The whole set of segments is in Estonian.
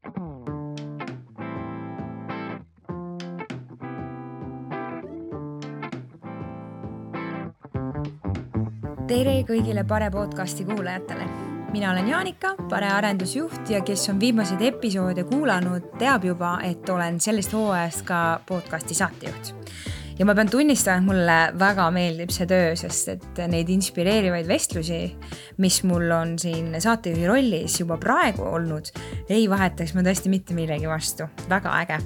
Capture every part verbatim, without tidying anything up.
Tere kõigile Pare podcasti kuulajatele. Mina olen Jaanika, Pare arendusjuht ja kes on viimaseid episoode kuulanud, teab juba, et olen sellest hooajast ka podcasti saatejuht. Ja ma pean tunnistama, et mulle väga meeldib see töö, sest et neid inspireerivaid vestlusi, mis mul on siin saatejuhi rollis juba praegu olnud, ei vahetaks ma tõesti mitte millegi vastu. Väga äge.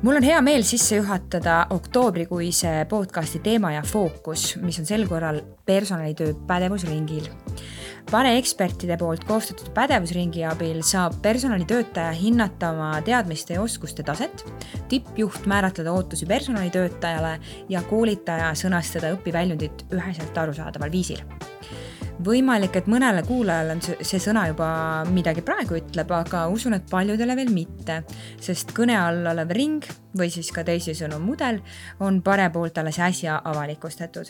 Mul on hea meel sisse juhatada oktoobrikuise podcasti teema ja fookus, mis on sel korral personalitöö pädevusringil. Pare ekspertide poolt koostatud pädevusringi abil saab personalitöötaja hinnata oma teadmiste ja oskuste taset, tippjuht määratleda ootusi personalitöötajale ja koolitaja sõnastada õpiväljundit üheselt arusaadaval viisil. Võimalik, et mõnele kuulajale on see sõna juba midagi praegu ütleb, aga usun, et paljudele veel mitte, sest kõne all olev ring või siis ka teisisõnu mudel on Pare poolt alles äsja avalikustatud.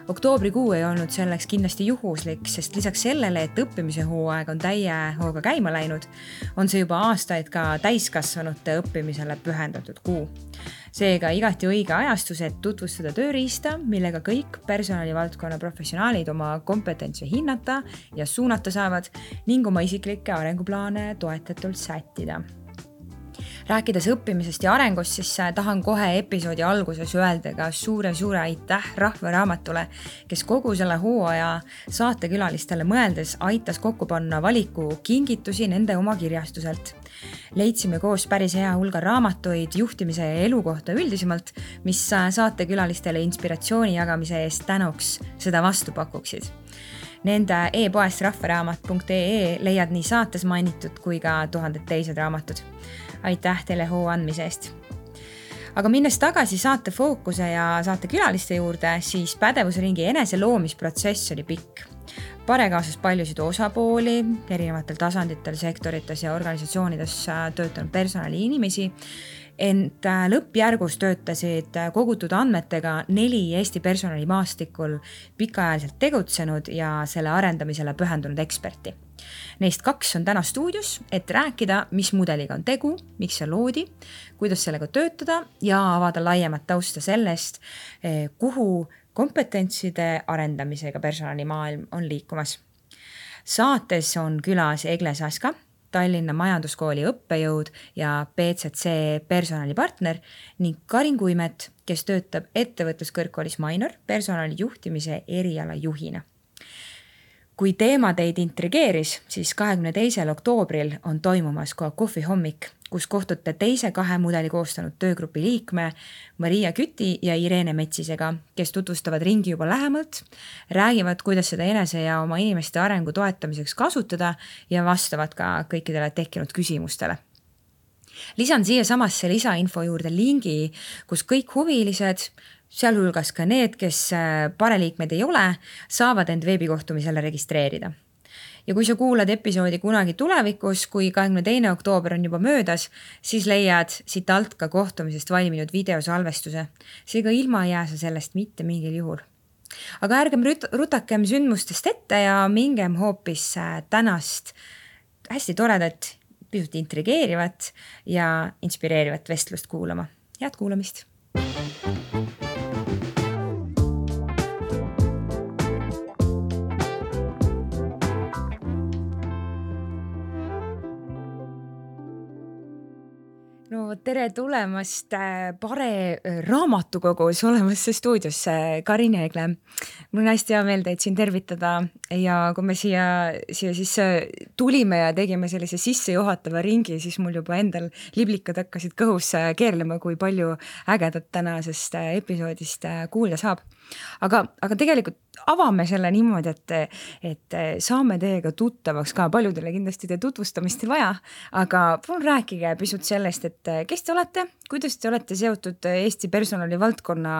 Oktoobrikuu ei olnud selleks kindlasti juhuslik, sest lisaks sellele, et õppimise hooaeg on täie hooga käima läinud, on see juba aastaid ka täiskasvanute õppimisele pühendatud kuu. Seega igati õige ajastus, et tutvustada tööriista, millega kõik personalivaldkonna professionaalid oma kompetentsi hinnata ja suunata saavad ning oma isiklikke arenguplaane toetatult sättida. Rääkides õppimisest ja arengust, siis tahan kohe episoodi alguses öelda ka suure-suure aitäh Rahvaraamatule, kes kogu selle hooaja saatekülalistele mõeldes aitas kokku panna valiku kingitusi nende oma kirjastuselt. Leidsime koos päris hea hulga raamatuid juhtimise ja elu kohta üldisemalt, mis saatekülalistele inspiratsiooni jagamise eest tänuks seda vastu pakuksid. Nende e-poest rahvaraamat punkt ee leiad nii saates mainitud kui ka tuhanded teised raamatud. Aitäh teile hoo andmise eest. Aga minnes tagasi saate fookuse ja saate külaliste juurde, siis pädevusringi enese loomisprotsess oli pikk. Pare kaasas paljusid osapooli, erinevatel tasanditel, sektorites ja organisatsioonides töötanud personali inimesi, ent lõppjärgus töötasid kogutud andmetega neli Eesti personali maastikul pikaajaliselt tegutsenud ja selle arendamisele pühendunud eksperti. Neist kaks on täna stuudios, et rääkida, mis mudeliga on tegu, miks see loodi, kuidas sellega töötada ja avada laiemat tausta sellest, kuhu kompetentside arendamisega personalimaailm on liikumas. Saates on külas Egle Saska, Tallinna Majanduskooli õppejõud ja P Z C personalipartner ning Karin Kuimet, kes töötab ettevõtluskõrgkoolis Mainor personali juhtimise eriala juhina. Kui teema teid intrigeeris, siis kahekümne teisel oktoobril on toimumas ka kohvihommik, kus kohtute teise kahe mudeli koostanud töögrupi liikme Maria Küti ja Irene Metsisega, kes tutvustavad ringi juba lähemalt, räägivad, kuidas seda enese ja oma inimeste arengu toetamiseks kasutada ja vastavad ka kõikidele tekkinud küsimustele. Lisan siia samasse lisainfo juurde lingi, kus kõik huvilised, sealhulgas ka need, kes pareliikmed ei ole, saavad end veebikohtumisele registreerida. Ja kui sa kuulad episoodi kunagi tulevikus, kui kahekümne teine oktoober on juba möödas, siis leiad siit alt ka kohtumisest valminud videosalvestuse. Seega ilma ei jää sa sellest mitte mingil juhul. Aga ärgem rutakem sündmustest ette ja mingem hoopis tänast hästi toredat, pisut intrigeerivat ja inspireerivat vestlust kuulama. Head kuulamist! No tere tulemast Pare raamatukogus olemasse stuudiosse, Karin ja Egle. Mul on hästi hea meel teid siin tervitada ja kui me siia, siia siis tulime ja tegime sellise sisse juhatava ringi, siis mul juba endal liblikad hakkasid kõhus keerlema, kui palju ägedat tänasest episoodist kuulda saab. Aga, aga tegelikult avame selle niimoodi, et, et saame teiega tuttavaks ka, paljudele kindlasti te tutvustamist ei vaja, aga palun rääkige pisut sellest, et kes te olete, kuidas te olete seotud Eesti personali valdkonna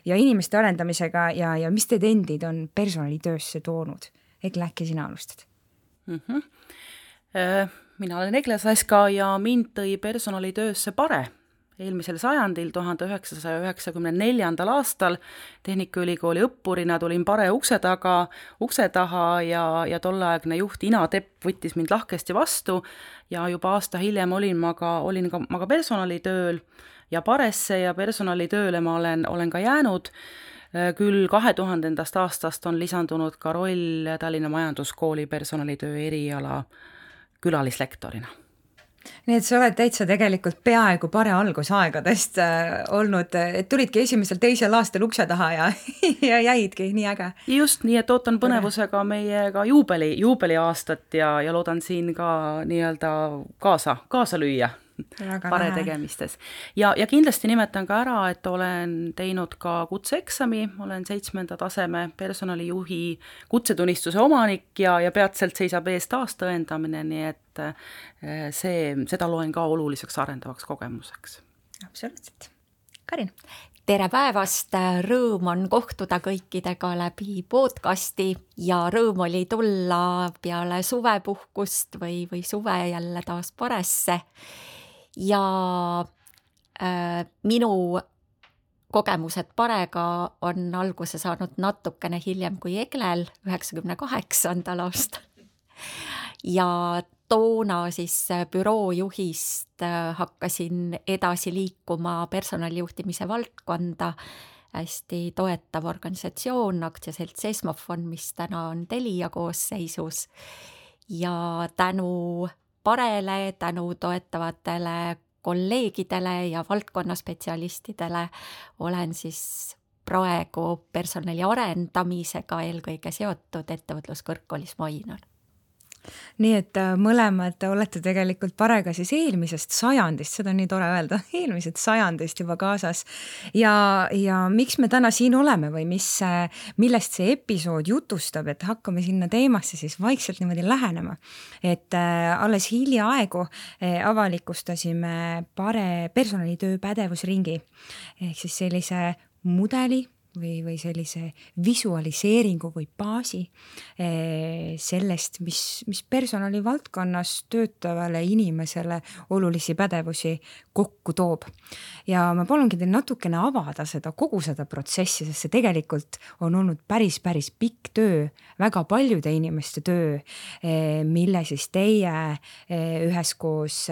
ja inimeste arendamisega ja, ja mis teid endid on personalitöösse toonud? Egle, äkki sina alustad? Mm-hmm. Mina olen Egle Saska ja mind tõi personalitöösse Pare. eelmisel sajandil, tuhande üheksasaja üheksakümne neljandal aastal Tehnikaülikooli õppurina tulin Pare ukse taga, ukse taha ja, ja tolleaegne juht Ina Tepp võttis mind lahkesti vastu ja juba aasta hiljem olin ma ka, olin ka, ma ka personalitööl ja Paresse ja personalitööle ma olen, olen ka jäänud. Küll kahe tuhandendast aastast on lisandunud ka roll Tallinna Majanduskooli personalitöö eriala külalislektorina. Nii et sa oled täitsa tegelikult peaaegu Pare algusaegadest äh, olnud, et tulidki esimesel teisel aastal ukse taha ja, ja jäidki, nii äge. Just, nii et ootan põnevusega meiega juubeli, juubeli aastat ja, ja loodan siin ka nii-öelda kaasa, kaasa lüüa. Väga Pare lähe. Tegemistes. Ja, ja kindlasti nimetan ka ära, et olen teinud ka kutseeksami, olen seitsmenda taseme personalijuhi kutsetunnistuse omanik ja, ja peatselt seisab ees taastõendamine, nii et see, seda loen ka oluliseks arendavaks kogemuseks. Absoluutselt. Karin? Tere päevast, rõõm on kohtuda kõikidega läbi podcasti ja rõõm oli tulla peale suvepuhkust või, või suve jälle taas Paresse. Ja äh, minu kogemused Parega on alguse saanud natukene hiljem kui Eglel üheksakümne kaheksandal aastal. Ja toona siis büroojuhist hakkasin edasi liikuma personalijuhtimise valdkonda, hästi toetav organisatsioon, aktsiaselts Esmofon, mis täna on Telia koosseisus. Ja tänu Parele, tänu toetavatele kolleegidele ja valdkonnaspetsialistidele olen siis praegu personali arendamisega eelkõige seotud ettevõtluskõrgkoolis Mainor. Nii et mõlemad olete tegelikult Parega siis eelmisest sajandist, seda on nii tore öelda, eelmisest sajandist juba kaasas. Ja, ja miks me täna siin oleme või mis, millest see episood jutustab, et hakkame sinna teemasse siis vaikselt niimoodi lähenema. Et äh, alles hiljaaegu äh, avalikustasime Pare personalitöö pädevusringi ehk siis sellise mudeli või, või sellise visualiseeringu või baasi sellest, mis, mis personali valdkonnas töötavale inimesele olulisi pädevusi kokku toob. Ja ma palungi teil natukene avada seda, kogu seda protsessi, sest see tegelikult on olnud päris, päris pikk töö, väga paljude inimeste töö, mille siis teie üheskoos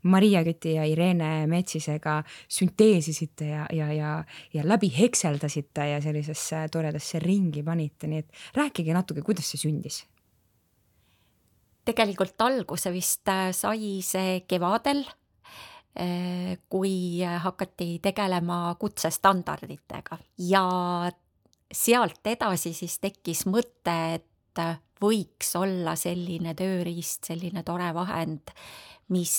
Maria Küti ja Irene Metsisega sünteesisite ja, ja, ja, ja läbi hekseldasite ja sellisesse toredasse ringi panite, nii et rääkige natuke, kuidas see sündis? Tegelikult alguse vist sai see kevadel, kui hakati tegelema kutsestandarditega ja sealt edasi siis tekkis mõte, et võiks olla selline tööriist, selline tore vahend, mis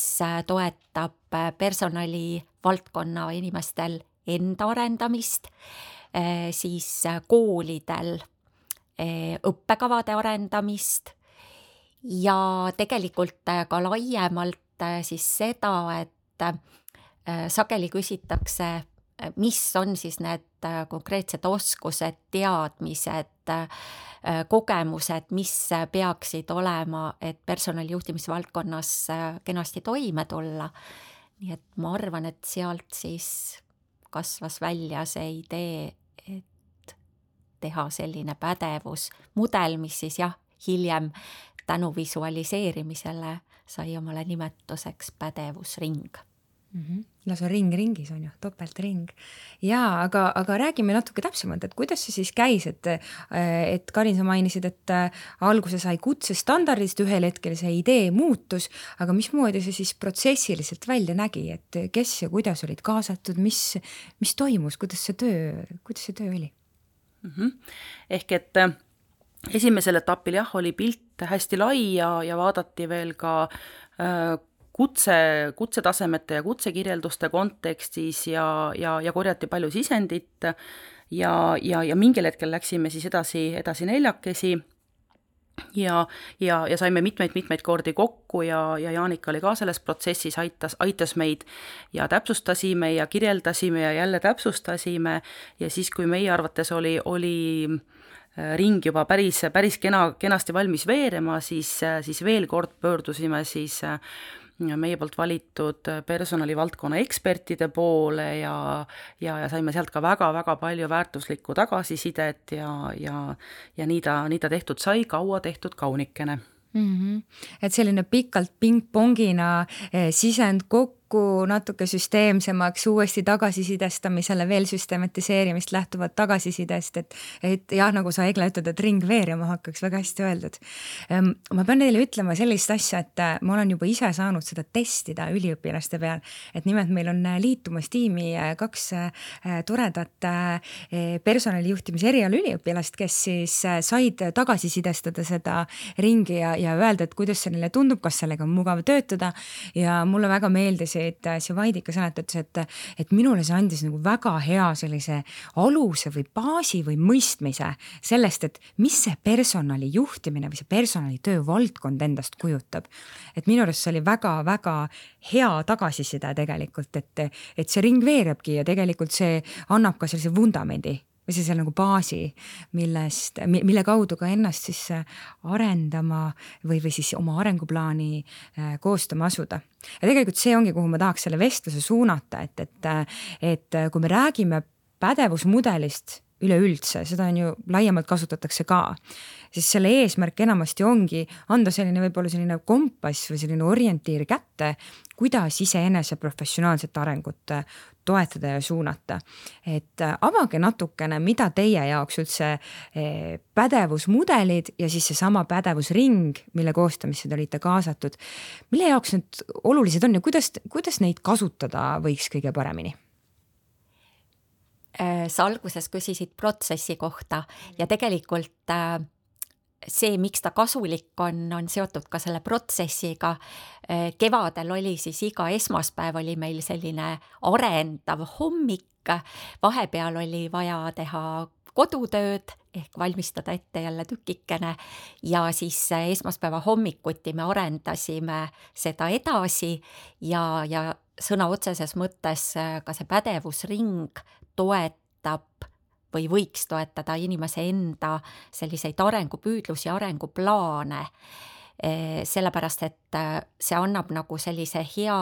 toetab personali valdkonna inimestel enda arendamist, siis koolidel õppekavade arendamist ja tegelikult ka laiemalt siis seda, et sageli küsitakse, mis on siis need konkreetsed oskused, teadmised, kogemused, mis peaksid olema, et personalijuhtimise valdkonnas kenasti toime tulla. Nii et ma arvan, et sealt siis kasvas välja see idee, et teha selline pädevus, mudel, mis siis jah, hiljem tänu visualiseerimisele sai omale nimetuseks pädevusring. Mm-hmm. Lausa ring ringis on ju, topeltring. Jaa, aga, aga räägime natuke täpsemalt, et kuidas see siis käis, et, et Karin, sa mainisid, et alguse sai kutsestandardist, ühel hetkel see idee muutus, aga mismoodi see siis protsessiliselt välja nägi, et kes ja kuidas olid kaasatud, mis, mis toimus, kuidas see töö, kuidas see töö oli? Mm-hmm. Ehk et esimesel etapil jah, oli pilt hästi lai ja, ja vaadati veel ka äh, kutse, kutsetasemete ja kutsekirjelduste kontekstis ja, ja, ja korjati palju sisendit ja, ja, ja mingil hetkel läksime siis edasi, edasi neljakesi ja, ja, ja saime mitmeid-mitmeid kordi kokku ja, ja Jaanika oli ka selles protsessis, aitas, aitas meid ja täpsustasime ja kirjeldasime ja jälle täpsustasime ja siis, kui meie arvates oli, oli ring juba päris, päris kena, kenasti valmis veerema, siis, siis veel kord pöördusime siis meie poolt valitud personalivaldkonna ekspertide poole ja, ja, ja saime sealt ka väga-väga palju väärtuslikku tagasisidet ja, ja, ja nii ta, nii ta tehtud sai, kaua tehtud kaunikene. Mm-hmm. Et selline pikalt ping-pongina eh, sisend kokku, natuke süsteemsemaks, uuesti tagasisidestamisele, veel süstematiseerimist lähtuvad tagasisidest, et, et jah, nagu sa Egla ütled, et ring veerema hakkaks, väga hästi öeldud. Ma pean neile ütlema sellist asja, et ma olen juba ise saanud seda testida üliõpilaste peal, et nimelt meil on liitumas tiimi kaks toredat personalijuhtimise eriala üliõpilast, kes siis said tagasisidestada seda ringi ja, ja öelda, et kuidas see neile tundub, kas sellega on mugav töötada ja mulle väga meeldis, et see Vaidika sõnatatus, et, et minule see andis nagu väga hea sellise aluse või baasi või mõistmise sellest, et mis see personali juhtimine või see personali töövaldkond endast kujutab. Et minu arust see oli väga-väga hea tagasiside tegelikult, et, et see ring veerabki ja tegelikult see annab ka sellise vundamendi või see seal nagu baasi, millest, mille kaudu ka ennast siis arendama või, või siis oma arenguplaani koostama asuda. Ja tegelikult see ongi, kuhu ma tahaks selle vestluse suunata, et, et, et kui me räägime pädevusmudelist üleüldse, seda on ju laiemalt kasutatakse ka, siis selle eesmärk enamasti ongi anda selline võib-olla selline kompass või selline orientiir kätte, kuidas iseenese professionaalset arengut toetada ja suunata. Et avage natukene, mida teie jaoks üldse pädevusmudelid ja siis see sama pädevusring, mille koostamisse te olite kaasatud, mille jaoks need olulised on ja kuidas, kuidas neid kasutada võiks kõige paremini? Sa alguses küsisid protsessi kohta ja tegelikult see, miks ta kasulik on, on seotud ka selle protsessiga. Kevadel oli siis iga esmaspäev oli meil selline arendav hommik, vahepeal oli vaja teha kodutööd ehk valmistada ette jälle tükikene ja siis esmaspäeva hommikuti me arendasime seda edasi ja, ja sõna otseses mõttes ka see pädevusring toetab või võiks toetada inimese enda selliseid arengupüüdlusi, arenguplaane, sellepärast et see annab nagu sellise hea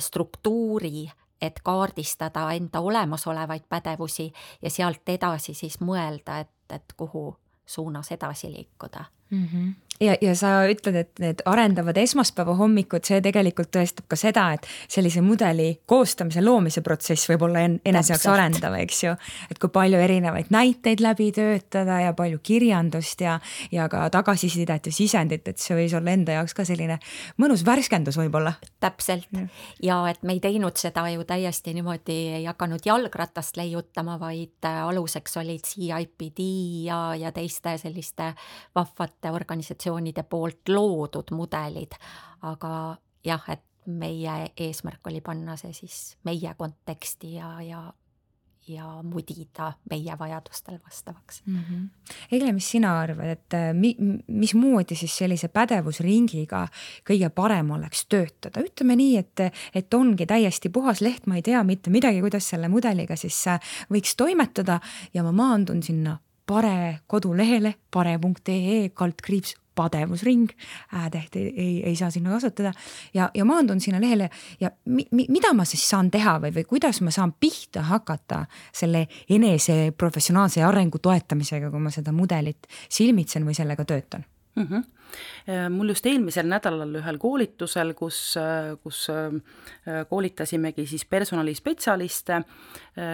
struktuuri, et kaardistada enda olemasolevaid pädevusi ja sealt edasi siis mõelda, et, et kuhu suunas edasi liikuda. Mm-hmm. Ja, ja sa ütled, et need arendavad esmaspäeva hommikud, see tegelikult tõestab ka seda, et sellise mudeli koostamise, loomise protsess võib olla en- enese jaoks arendav, eks ju. Et kui palju erinevaid näiteid läbi töötada ja palju kirjandust ja, ja ka tagasisidet ja sisendit, et see võis olla enda jaoks ka selline mõnus värskendus võib-olla. Täpselt. Ja, ja et me ei teinud seda ju täiesti niimoodi, ei hakanud jalgratast leiutama, vaid aluseks olid C I P D ja, ja teiste selliste vahvate organisatsioonide poolt loodud mudelid, aga jah, et meie eesmärk oli panna see siis meie konteksti ja, ja, ja mudida meie vajadustel vastavaks. Mm-hmm. Egle, mis sina arvad, et mi, mis moodi siis sellise pädevusringiga kõige parem oleks töötada? Ütleme nii, et, et ongi täiesti puhas leht, ma ei tea mitte midagi, kuidas selle mudeliga siis võiks toimetada ja ma maandun sinna pare kodulehele, pare punkt ee kaldkriips pädevusring, äätäht ei, ei, ei saa sinna kasutada ja, ja maandun sinna lehele ja mi, mi, mida ma siis saan teha või, või kuidas ma saan pihta hakata selle enese professionaalse arengu toetamisega, kui ma seda mudelit silmitsen või sellega töötan? Mm-hmm. Mul just eelmisel nädalal ühel koolitusel, kus, kus koolitasimegi siis personalispetsialiste,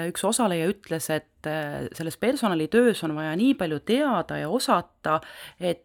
üks osaleja ütles, et selles personalitöös on vaja nii palju teada ja osata, et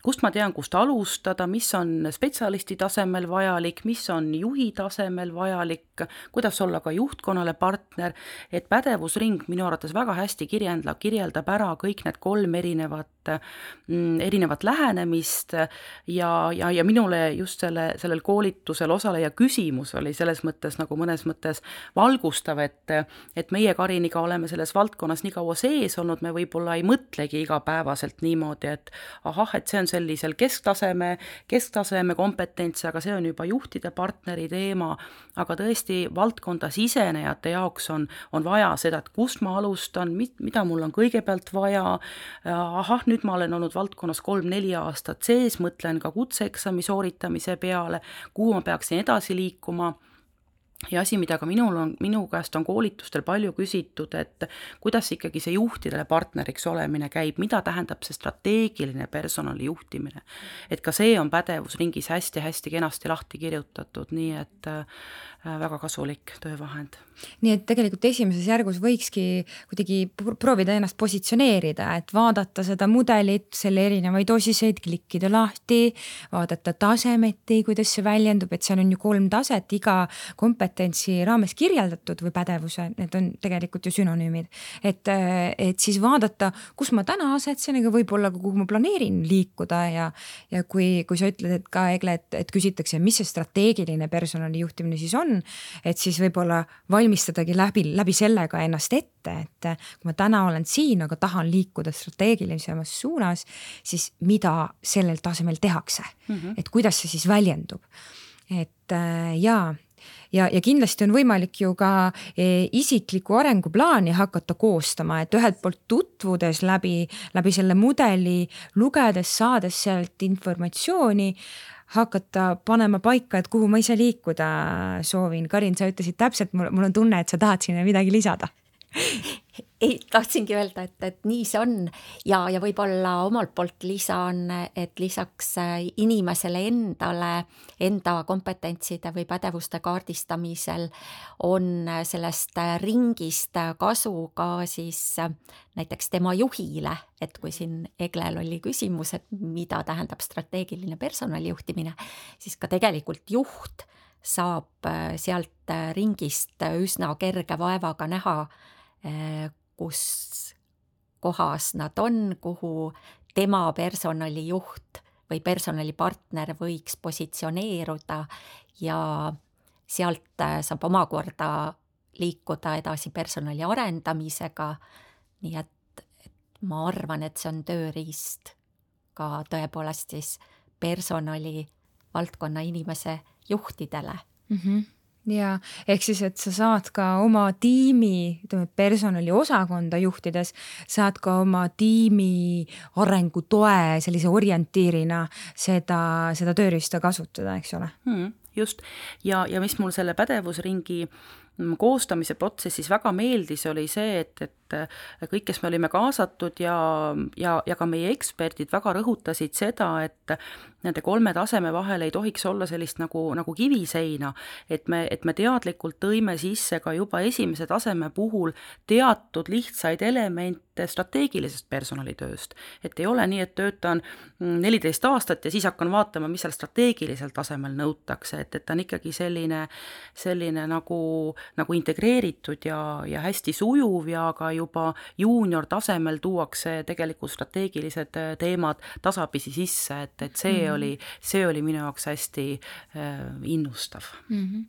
kust ma tean, kust alustada, mis on spetsialisti tasemel vajalik, mis on juhi tasemel vajalik, kuidas olla ka juhtkonnale partner, et pädevusring minu arvates väga hästi kirjeldab, kirjeldab ära kõik need kolm erinevat, erinevat lähenemist ja, ja, ja minule just selle, sellel koolitusel osaleja küsimus oli selles mõttes nagu mõnes mõttes valgustav, et, et meie Kariniga oleme selles valdkonnas nii kaua sees olnud, me võib-olla ei mõtlegi igapäevaselt niimoodi, et ahah, et see on sellisel kesktaseme, kesktaseme kompetents, aga see on juba juhtide partneri teema, aga tõesti tõesti valdkonda sisenejate jaoks on, on vaja seda, et kust ma alustan, mida mul on kõigepealt vaja, ahah, nüüd ma olen olnud valdkonnas kolm-neli aastat sees, mõtlen ka kutseeksami sooritamise peale, kuhu ma peaksin edasi liikuma. Ja asi, mida ka minul on, minu käest on koolitustel palju küsitud, et kuidas ikkagi see juhtidele partneriks olemine käib, mida tähendab see strateegiline personali juhtimine. Et ka see on pädevusringis hästi-hästi kenasti lahti kirjutatud, nii et väga kasulik töövahend. Nii et tegelikult esimeses järgus võikski kuidagi proovida ennast positsioneerida, et vaadata seda mudelit, selle erinevaid osiseid, klikkida lahti, vaadata tasemeti, kuidas see väljendub, et seal on ju kolm taset iga kompetentsi raames kirjeldatud või pädevuse, need on tegelikult ju sünonüümid. Et, et siis vaadata, kus ma täna asetsen, ega võib-olla kuhu ma planeerin liikuda ja, ja kui, kui sa ütled, et ka Egle, et, et küsitakse, mis see strateegiline personali juhtimine siis on, et siis võib-olla valmistadagi läbi, läbi sellega ennast ette, et kui ma täna olen siin, aga tahan liikuda strateegilisemas suunas, siis mida sellel tasemel tehakse, mm-hmm. et kuidas see siis väljendub. Et jaa, ja, ja kindlasti on võimalik ju ka isikliku arenguplaani hakata koostama, et ühelt poolt tutvudes läbi, läbi selle mudeli, lugedes, saades sealt informatsiooni, hakata panema paika, et kuhu ma ise liikuda soovin. Karin, sa ütlesid täpselt, mul, mul on tunne, et sa tahad sinna midagi lisada. Ei, tahtsingi öelda, et, et nii see on ja, ja võib-olla omalt poolt lisan, et lisaks inimesele endale, enda kompetentside või pädevuste kaardistamisel on sellest ringist kasu ka siis näiteks tema juhile, et kui siin Eglel oli küsimus, et mida tähendab strateegiline personalijuhtimine, siis ka tegelikult juht saab sealt ringist üsna kerge vaevaga näha, kus kohas nad on, kuhu tema personalijuht või personalipartner võiks positsioneeruda ja sealt saab omakorda liikuda edasi personali arendamisega. Nii et, et ma arvan, et see on tööriist ka tõepoolest siis personali valdkonna inimese juhtidele. Mm-hmm. Ja ehk siis, et sa saad ka oma tiimi personali osakonda juhtides, saad ka oma tiimi arengutoe sellise orientiirina seda, seda tööriista kasutada, eks ole? Hmm, just. Ja, ja mis mul selle pädevusringi koostamise protsessis väga meeldis, oli see, et, et kõik, kes me olime kaasatud ja, ja, ja ka meie eksperdid väga rõhutasid seda, et nende kolme taseme vahel ei tohiks olla sellist nagu, nagu kiviseina, et me, et me teadlikult tõime sisse ka juba esimese taseme puhul teatud lihtsaid elemente strateegilisest personalitööst. Et ei ole nii, et töötan neliteist aastat ja siis hakkan vaatama, mis seal strateegilisel tasemel nõutakse, et, et on ikkagi selline, selline nagu nagu integreeritud ja, ja hästi sujuv ja ka juba juunior tasemel tuuakse tegelikult strateegilised teemad tasapisi sisse, et, et see, mm-hmm. oli, see oli minu jaoks hästi äh, innustav. Mm-hmm.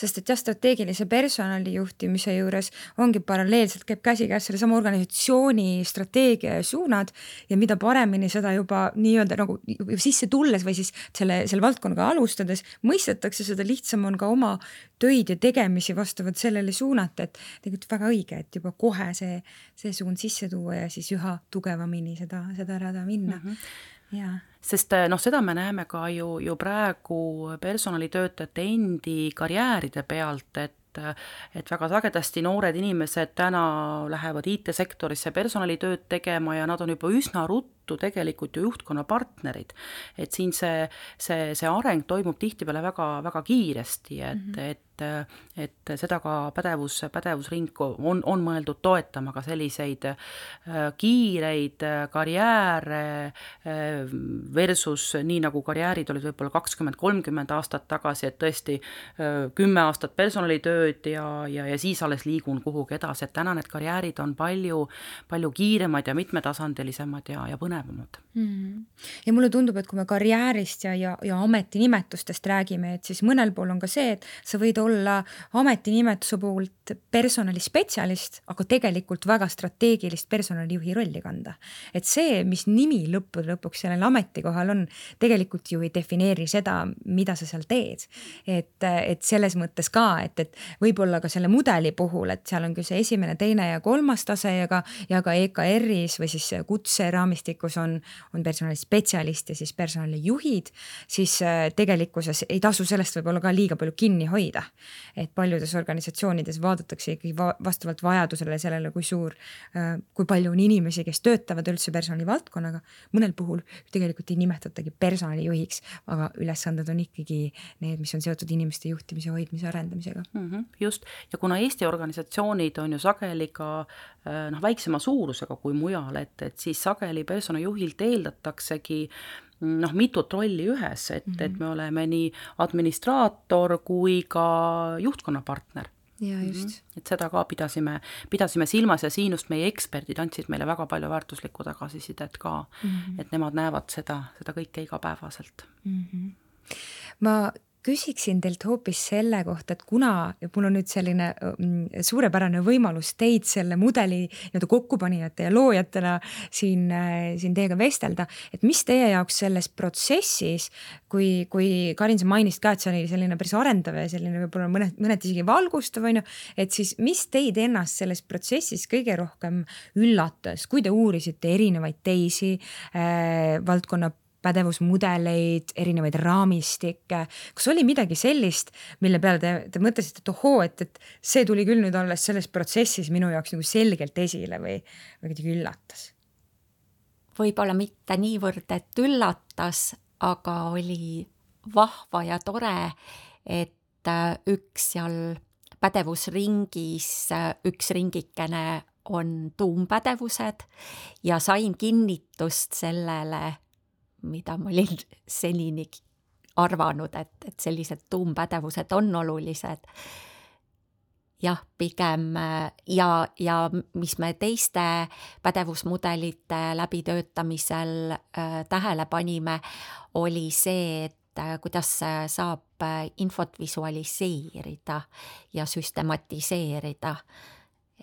Sest et jah, strateegilise personali juhtimise juures ongi paralleelselt käib käsikäes selle sama organisatsiooni strateegia ja suunad ja mida paremini seda juba nii-öelda nagu sisse tulles või siis selle, selle valdkonnaga alustades mõistetakse, seda lihtsam on ka oma töid ja tegemisi vastavalt sellele suunata, et tegelikult väga õige, et juba kohe see, see suund sisse tuua ja siis üha tugevamini seda, seda rada minna. Mm-hmm. Ja. Sest noh, seda me näeme ka ju, ju praegu personalitöötajate endi karjääride pealt, et et väga sagedasti noored inimesed täna lähevad I T-sektorisse personalitööd tegema ja nad on juba üsna ruttu tegelikult ju juhtkonna partnerid. Et siin see, see, see areng toimub tihtipeale väga, väga kiiresti, et, mm-hmm. et et seda ka pädevus, pädevusring on, on mõeldud toetama ka selliseid kiireid karjääre versus nii nagu karjäärid olid võib-olla kakskümmend kolmkümmend aastat tagasi, et tõesti kümme aastat personalitööd ja, ja, ja siis alles liigun kuhugi edasi, et täna need karjäärid on palju, palju kiiremad ja mitmetasandilisemad ja, ja põnevamad. põnevamad. Mm. Ja mulle tundub, et kui me karjäärist ja, ja, ja ametinimetustest räägime, et siis mõnel pool on ka see, et sa võid olla ametinimetuse poolt personalispetsialist, aga tegelikult väga strateegilist personalijuhi rolli kanda. Et see, mis nimi lõppude lõpuks sellel ametikohal on, tegelikult ju ei defineeri seda, mida sa seal teed. Et, et selles mõttes ka, et, et võib-olla ka selle mudeli puhul, et seal on küll see esimene, teine ja kolmas tase ja ka, ja ka E K R-is või siis kutseraamistikus on on personalispetsialist ja siis personalijuhid, siis tegelikkuses ei tasu sellest võib-olla ka liiga palju kinni hoida. Et paljudes organisatsioonides vaadatakse ikkagi vastavalt vajadusele sellele, kui suur, kui palju on inimesi, kes töötavad üldse personalivaldkonnaga. Mõnel puhul tegelikult ei nimetatagi personalijuhiks, aga ülesanded on ikkagi need, mis on seotud inimeste juhtimise, hoidmise, arendamisega. Mm-hmm, just. Ja kuna Eesti organisatsioonid on ju sageli ka noh, väiksema suurusega kui mujal, et, et siis sageli personalijuhilt eeldataksegi noh, mitut rolli ühes, et, mm-hmm. et me oleme nii administraator kui ka juhtkonnapartner. Ja just. Mm-hmm. Et seda ka pidasime, pidasime silmas ja siinust meie eksperdid andsid meile väga palju väärtuslikku tagasisidet ka, mm-hmm. et nemad näevad seda, seda kõike igapäevaselt. Mm-hmm. Ma küsiksin teilt hoopis selle kohta, et kuna mul on nüüd selline suurepärane võimalus teid selle mudeli nii-öelda kokkupanijate ja loojatena siin, siin teiega vestelda, et mis teie jaoks selles protsessis, kui, kui Karin sa mainist ka, et see oli selline päris arendav ja selline võib-olla mõned, mõned isegi valgustav, on ju, et siis mis teid ennast selles protsessis kõige rohkem üllatas, kui te uurisite erinevaid teisi äh, valdkonna pädevusmudeleid, erinevaid raamistikke. Kas oli midagi sellist, mille peale te, te mõtlesite, et ohoo, et, et see tuli küll nüüd alles selles protsessis minu jaoks nagu selgelt esile või, või kuidagi üllatas? Võib-olla mitte niivõrd, et üllatas, aga oli vahva ja tore, et üks seal pädevusringis, üks ringikene on tuumpädevused ja sain kinnitust sellele, mida ma olin senini arvanud, et, et sellised tuumpädevused on olulised. Jah, pigem ja, ja mis me teiste pädevusmudelite läbitöötamisel äh, tähele panime, oli see, et äh, kuidas saab infot visualiseerida ja süstematiseerida.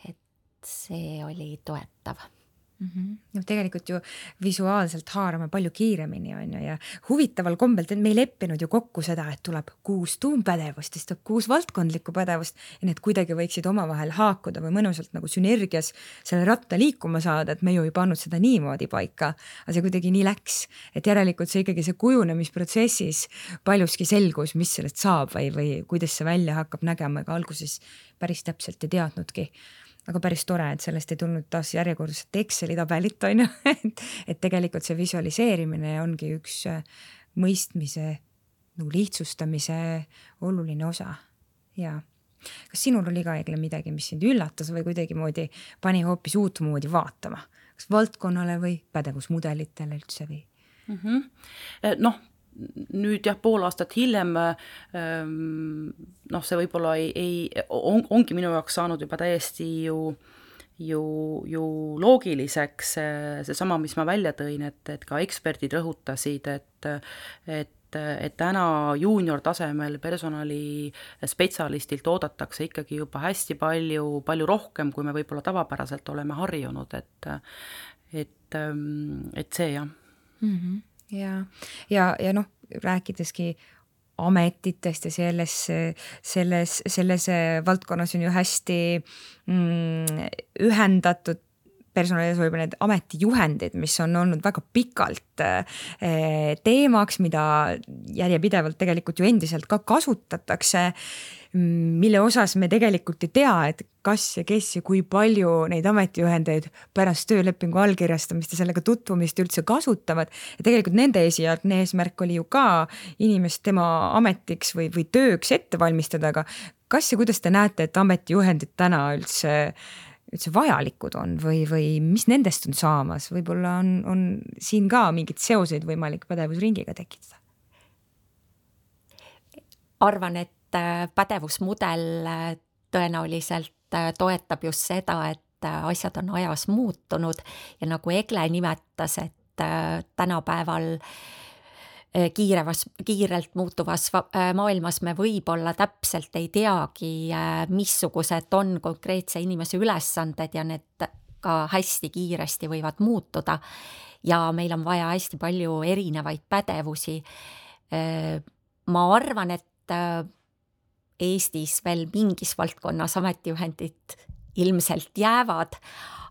Et see oli toetav. Mm-hmm. No, tegelikult ju visuaalselt haarame palju kiiremini on ju ja huvitaval kombelt, et me ei leppinud ju kokku seda, et tuleb kuus tuumpädevust, siis tuleb kuus valdkondlikku pädevust ja need kuidagi võiksid omavahel haakuda või mõnusalt nagu sünergias selle ratta liikuma saada, et me ju ei pannud seda niimoodi paika, aga see kuidagi nii läks, et järelikult see ikkagi see kujunemisprotsessis paljuski selgus, mis sellest saab või, või kuidas see välja hakkab nägema, ega alguses päris täpselt ei teadnudki. Aga päris tore, et sellest ei tulnud taas järjekordselt Exceli tabelit, on ju, et, et tegelikult see visualiseerimine ongi üks mõistmise, nagu lihtsustamise oluline osa. Ja kas sinul oli ka Egle midagi, mis sind üllatas või kuidagi moodi pani hoopis uut moodi vaatama? Kas valdkonnale või pädevusmudelitele üldse või? Mm-hmm. Noh, nüüd jah, pool aastat hiljem noh, see võib-olla ei, ei, on, ongi minu jaoks saanud juba täiesti ju, ju, ju loogiliseks see sama, mis ma välja tõin, et, et ka eksperdid rõhutasid, et, et, et täna juunior tasemel personali spetsialistilt oodatakse ikkagi juba hästi palju, palju rohkem, kui me võib-olla tavapäraselt oleme harjunud, et, et, et see jah. Mm-hmm. Ja, ja, ja noh, rääkideski ametitest ja selles, selles, selles valdkonnas on ju hästi mm, ühendatud personalis võib-olla need ametijuhendid, mis on olnud väga pikalt eh, teemaks, mida järjepidevalt tegelikult ju endiselt ka kasutatakse, mille osas me tegelikult ei tea, et kas ja kes ja kui palju neid ametijuhendeid pärast töölepingu allkirjastamist ja sellega tutvumist üldse kasutavad. Ja tegelikult nende esialgne eesmärk oli ju ka inimest tema ametiks või, või tööks ette valmistada, aga kas ja kuidas te näete, et ametijuhendid täna üldse üldse vajalikud on või, või mis nendest on saamas? Võib-olla on, on siin ka mingid seoseid võimalik pädevusringiga tekitada? Arvan, et pädevusmudel tõenäoliselt toetab just seda, et asjad on ajas muutunud ja nagu Egle nimetas, et tänapäeval kiirevas, kiirelt muutuvas maailmas me võib-olla täpselt ei teagi, missugused on konkreetse inimese ülesanded ja need ka hästi kiiresti võivad muutuda ja meil on vaja hästi palju erinevaid pädevusi. Ma arvan, et Eestis veel mingis valdkonnas ametijuhendid ilmselt jäävad,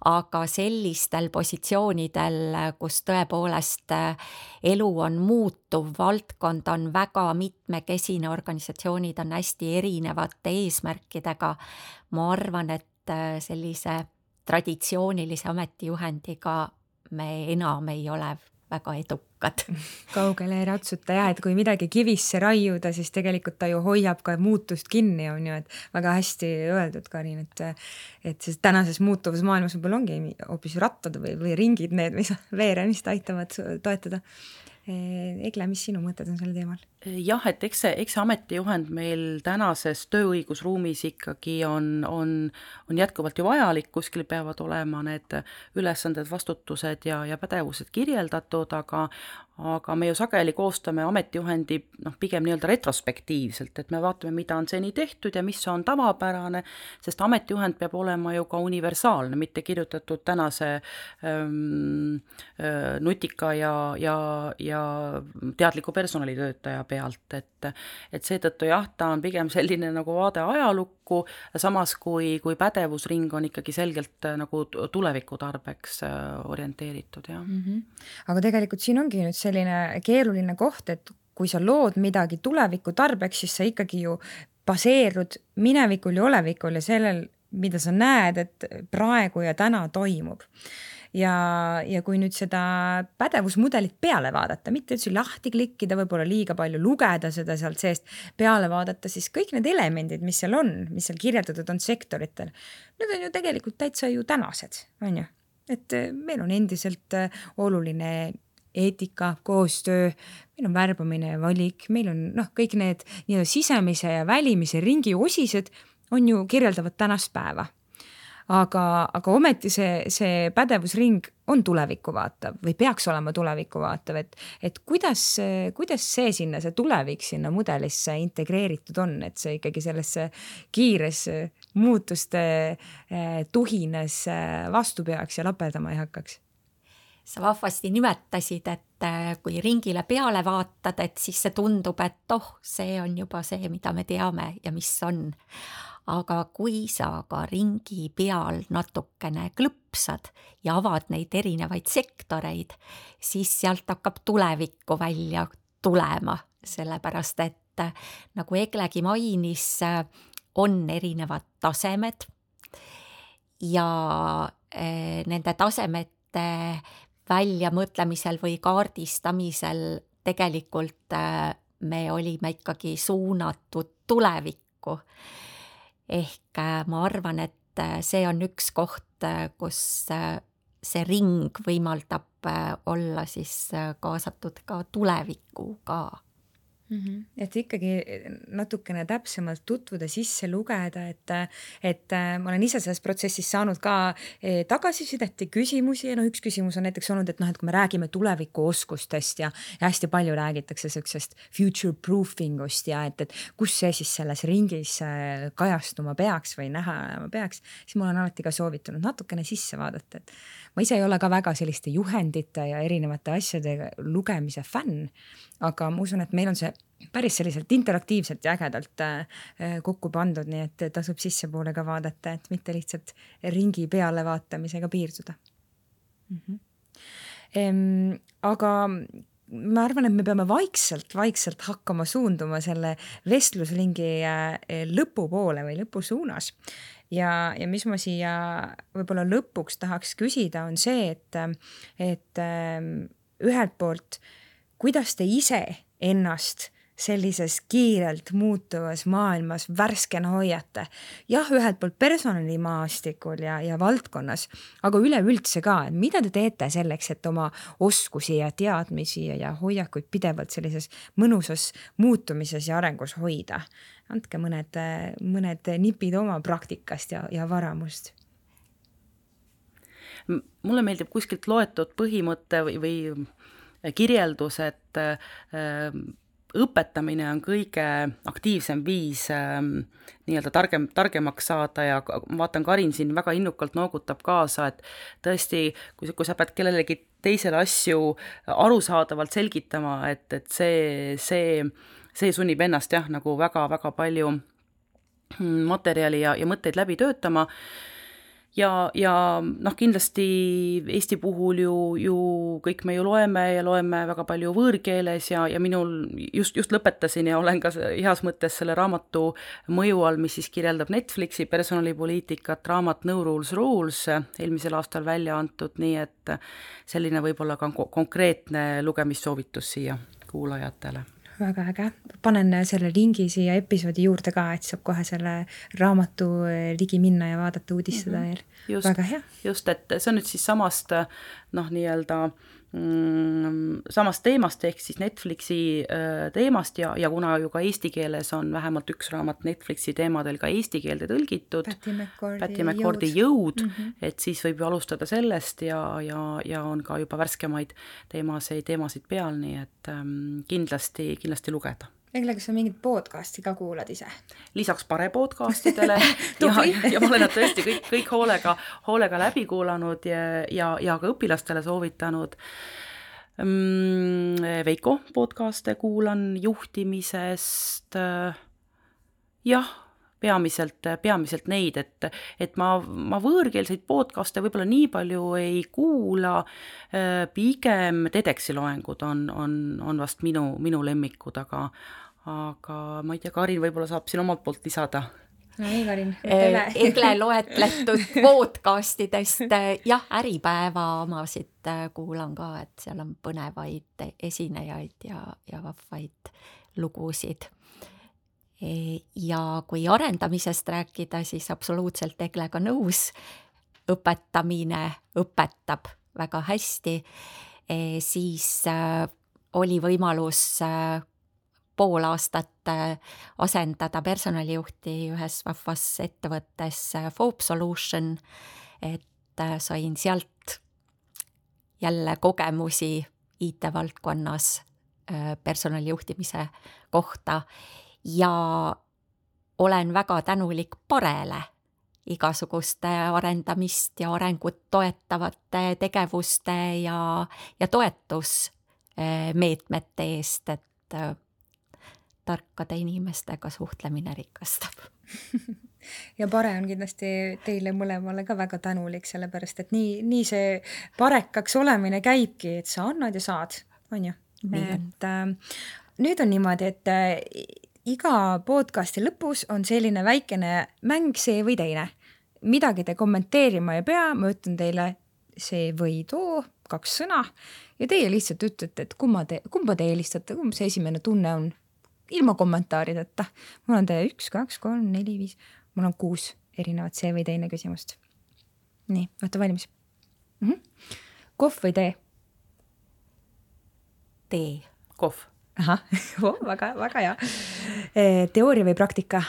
aga sellistel positsioonidel, kus tõepoolest elu on muutuv, valdkond on väga mitmekesine, organisatsioonid on hästi erinevate eesmärkidega, ma arvan, et sellise traditsioonilise ametijuhendiga me enam ei ole väga edukad. Kaugele ei ratsuta jah, et kui midagi kivisse raiuda, siis tegelikult ta ju hoiab ka muutust kinni, on ju, et väga hästi öeldud, Karin, et, et siis tänases muutuvas maailmas võib-olla ongi hoopis rattad või, või ringid need, mis veeremist aitavad toetada. Egle, mis sinu mõtted on selle teemal? Jah, et eks see, eks see ametijuhend meil tänases tööõigusruumis ikkagi on, on, on jätkuvalt ju vajalik, kuskil peavad olema need ülesanded, vastutused ja, ja pädevused kirjeldatud, aga, aga me ju sageli koostame ametijuhendi noh, pigem nii-öelda retrospektiivselt, et me vaatame, mida on seni tehtud ja mis on tavapärane, sest ametijuhend peab olema ju ka universaalne, mitte kirjutatud tänase ähm, nutika ja, ja, ja teadliku personalitöötaja pealt, et, et seetõttu jah, ta on pigem selline nagu vaade ajalukku, samas kui, kui pädevusring on ikkagi selgelt nagu tuleviku tarbeks orienteeritud. Jah. Mm-hmm. Aga tegelikult siin ongi nüüd selline keeruline koht, et kui sa lood midagi tuleviku tarbeks, siis sa ikkagi ju baseerud minevikul ja olevikul ja sellel, mida sa näed, et praegu ja täna toimub. Ja, ja kui nüüd seda pädevusmudelit peale vaadata, mitte üldse lahti klikkida, võib-olla liiga palju lugeda seda sealt seest, peale vaadata, siis kõik need elemendid, mis seal on, mis seal kirjeldatud on sektoritel, need on ju tegelikult täitsa ju tänased, on ju? Et meil on endiselt oluline eetika, koostöö, meil on värbamine ja valik, meil on noh, kõik need nii-öelda sisemise ja välimise ringi osised on ju kirjeldavad tänast päeva. Aga, aga ometi see, see pädevusring on tulevikku vaatav või peaks olema tulevikku vaatav, et, et kuidas, kuidas see sinna, see tulevik sinna mudelisse integreeritud on, et see ikkagi sellesse kiires muutuste tuhines vastu peaks ja laperdama ei hakkaks? Sa vahvasti nimetasid, et kui ringile peale vaatad, et siis see tundub, et oh, see on juba see, mida me teame ja mis on. Aga kui sa ka ringi peal natukene klõpsad ja avad neid erinevaid sektoreid, siis sealt hakkab tulevikku välja tulema, sellepärast et nagu Eglegi mainis, on erinevad tasemed ja nende tasemete väljamõtlemisel või kaardistamisel tegelikult me olime ikkagi suunatud tulevikku. Ehk ma arvan, et see on üks koht, kus see ring võimaldab olla siis kaasatud ka tulevikku ka. Mm-hmm. Et ikkagi natukene täpsemalt tutvuda, sisse lugeda, et, et ma olen ise selles protsessis saanud ka tagasisidet ja küsimusi ja no üks küsimus on näiteks olnud, et noh, et kui me räägime tuleviku oskustest ja, ja hästi palju räägitakse sellisest future proofingust ja et, et kus see siis selles ringis kajastuma peaks või näha peaks, siis mul on alati ka soovitanud natukene sisse vaadata, et ma ise ei ole ka väga selliste juhendite ja erinevate asjade lugemise fänn, aga ma usun, et meil on see päris selliselt interaktiivselt ja ägedalt kokku pandud, nii et tasub sissepoole ka vaadata, et mitte lihtsalt ringi peale vaatamisega piirduda. Mm-hmm. Ehm, aga ma arvan, et me peame vaikselt, vaikselt hakkama suunduma selle vestluslingi lõpu poole või lõpu suunas. Ja, ja mis ma siia võib-olla lõpuks tahaks küsida, on see, et, et ühelt poolt, kuidas te ise ennast sellises kiirelt muutuvas maailmas värskena hoiate. Jah, ühelt poolt personalimaastikul ja, ja valdkonnas, aga üleüldse ka, et mida te teete selleks, et oma oskusi ja teadmisi ja hoiakuid pidevalt sellises mõnusas muutumises ja arengus hoida? Andke mõned, mõned nipid oma praktikast ja, ja varamust. mulle meeldib kuskilt loetud põhimõte või, või kirjeldus, et äh, õpetamine on kõige aktiivsem viis äh, nii-öelda targem, targemaks saada ja ma vaatan, Karin siin väga innukalt noogutab kaasa, et tõesti, kui, kui sa pead kellelegi teisele asju arusaadavalt selgitama, et, et see, see, see sunnib ennast jah, nagu väga-väga palju materjali ja, ja mõtteid läbi töötama. Ja, ja noh, kindlasti Eesti puhul ju, ju kõik me ju loeme ja loeme väga palju võõrkeeles ja, ja minul just, just lõpetasin ja olen ka heas mõttes selle raamatu mõju all, mis siis kirjeldab Netflixi personalipoliitikat, raamat No Rules Rules, eelmisel aastal välja antud, nii et selline võib-olla ka konkreetne lugemissoovitus siia kuulajatele. Väga äge. Panen selle lingi siia episoodi juurde ka, et saab kohe selle raamatu ligi minna ja vaadata uudistada veel. Mm-hmm. Väga hea. Just, et see on nüüd siis samast, noh, nii-öelda mm, samast teemast ehk siis Netflixi äh, teemast ja, ja kuna ju ka eesti keeles on vähemalt üks raamat Netflixi teemadel ka eesti keelde tõlgitud, Patty McCordy, Patty McCordy jõud, jõud mm-hmm. et siis võib ju alustada sellest ja, ja, ja on ka juba värskemaid teemasid, teemasid peal, nii et ähm, kindlasti, kindlasti lugeda. Egle, kas sa mingit podcasti ka kuulad ise? Lisaks pare podcastidele ja, ja ma olen nad tõesti kõik, kõik hoolega, hoolega läbi kuulanud ja, ja, ja ka õpilastele soovitanud. Veiko podcaste kuulan juhtimisest, jah, peamiselt, peamiselt neid, et, et ma, ma võõrkeelseid podcaste võib-olla nii palju ei kuula, pigem TEDxi loengud on, on, on vast minu, minu lemmikud, aga, aga ma ei tea, Karin võib-olla saab siin omalt poolt lisada. No nii, Karin. Egle loetletud podcastidest, jah, Äripäeva omasid kuulan ka, et seal on põnevaid esinejaid ja, ja vahvaid lugusid. Ja kui arendamisest rääkida, siis absoluutselt Eglega nõus, õpetamine õpetab väga hästi, siis oli võimalus pool aastat asendada personalijuhti ühes vahvas ettevõttes Fope Solution, et sain sealt jälle kogemusi I T-valdkonnas personalijuhtimise kohta ja olen väga tänulik Parele igasuguste arendamist ja arengut toetavate tegevuste ja, ja toetusmeetmete eest, et tarkade inimestega suhtlemine rikastab. Ja Pare on kindlasti teile mõlemale ka väga tänulik, sellepärast et nii, nii see parekaks olemine käibki, et sa annad ja saad, on ju? Et äh, nüüd on niimoodi, et äh, iga podcasti lõpus on selline väikene mäng see või teine. Midagi te kommenteerima ei pea, ma ütlen teile see või too, kaks sõna, ja teie lihtsalt ütlete, et kumma te, kumba te eelistate, kumb see esimene tunne on, ilma kommentaarideta. Mul on teie üks, kaks, kolm, neli, viis, mul on kuus erinevat see või teine küsimust. Nii, olete valmis? Mm-hmm. Kohv või tee? Tee. Kohv. Aha, oh, väga, väga hea. Teooria või praktika?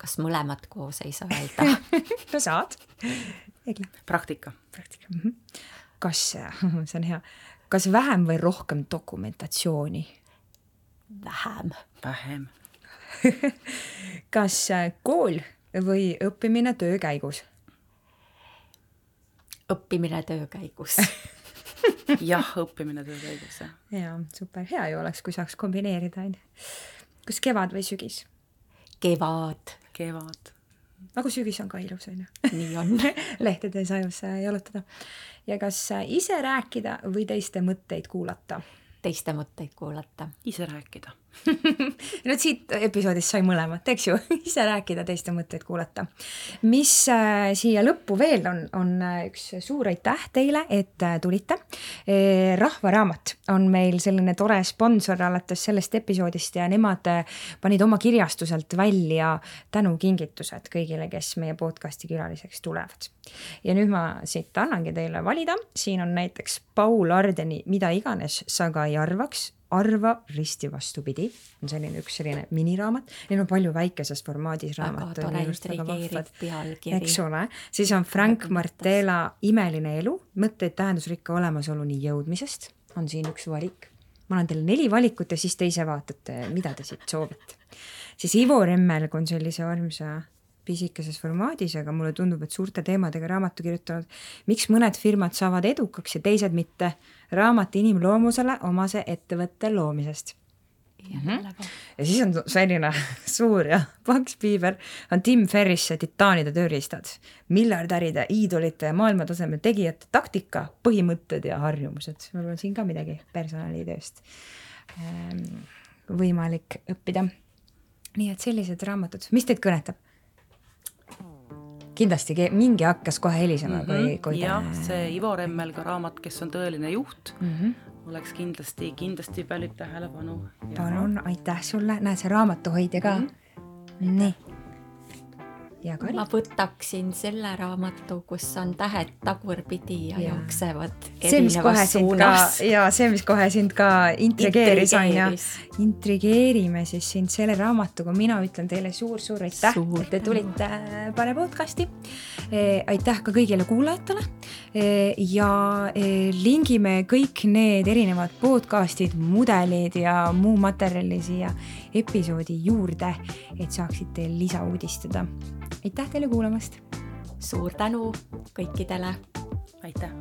Kas mõlemad koos ei saa öelda? No saad. Egle. Praktika. Praktika. Mm-hmm. Kas, see on hea, kas vähem või rohkem dokumentatsiooni? Vähem. Vähem. Kas kool või õppimine töö käigus? Õppimine töö käigus. Jah, õppimine töö käigus. Jaa, super. Hea ju oleks, kui saaks kombineerida. Kas kevad või sügis? Kevad. Kevad. Aga sügis on ka ilus, on ju? Nii on. Lehtede sajus jalutada. Ja kas ise rääkida või teiste mõtteid kuulata? Teiste mõtteid kuulata. Ise rääkida. No siit episoodist sai mõlemat, eks ju? Ise rääkida, teiste mõtteid kuulata. Mis äh, siia lõppu veel on, on üks suur aitäh teile, et äh, tulite. E, Rahvaraamat on meil selline tore sponsor alates sellest episoodist ja nemad panid oma kirjastuselt välja tänukingitused kõigile, kes meie podcasti külaliseks tulevad. Ja nüüd ma siit annangi teile valida. Siin on näiteks Paul Ardeni Mida iganes sa ka ei arvaks Arva risti vastupidi, on selline üks selline miniraamat, neil on palju väikeses formaadis raamat. Väga tore intrigeeriv pealkiri. Eks ole, siis on Frank Martela Imeline elu, mõtteid tähendusrikka olemasoluni jõudmisest, on siin üks valik. Ma olen teile neli valikut ja siis te ise vaatate, mida te siit soovite. Siis Ivo Remmelg on sellise armsa pisikeses formaadis, aga mulle tundub, et suurte teemadega raamatu kirjutanud, miks mõned firmad saavad edukaks ja teised mitte, raamat inimloomusele omase ettevõtte loomisest. Mm-hmm. Ja siis on selline suur ja paks piiber, on Tim Ferrisse Titaanide tööriistad, miljardäride, iidolite ja maailmataseme tegijate taktika, põhimõtted ja harjumused. Mul on siin ka midagi personalitööst võimalik õppida. Nii et sellised raamatud. Mis teid kõnetab? Kindlasti mingi hakkas kohe helisema. Mm-hmm. Kui, kui jah, te... see Ivo Remmelga raamat, kes on tõeline juht, mm-hmm. oleks kindlasti, kindlasti pälib tähelepanu. Palun, aitäh sulle. Näed, see raamatuhoidja ka. Mm-hmm. Nii. Ja Kari? Ma võtaksin selle raamatu, kus on tähed tagurpidi ja, ja. jooksevad see, erinevas suunas. Ka, ja see, mis kohe sind ka intrigeeris, on ja intrigeerime siis sind selle raamatuga. Mina ütlen teile suur-suur aitäh, suur et te tulite Pare podcasti. E, aitäh ka kõigile kuulajatele e, ja e, lingime kõik need erinevad podcastid, mudelid ja muu materjali siia episoodi juurde, et saaksite lisauudistada. Aitäh teile kuulamast! Suur tänu kõikidele! Aitäh!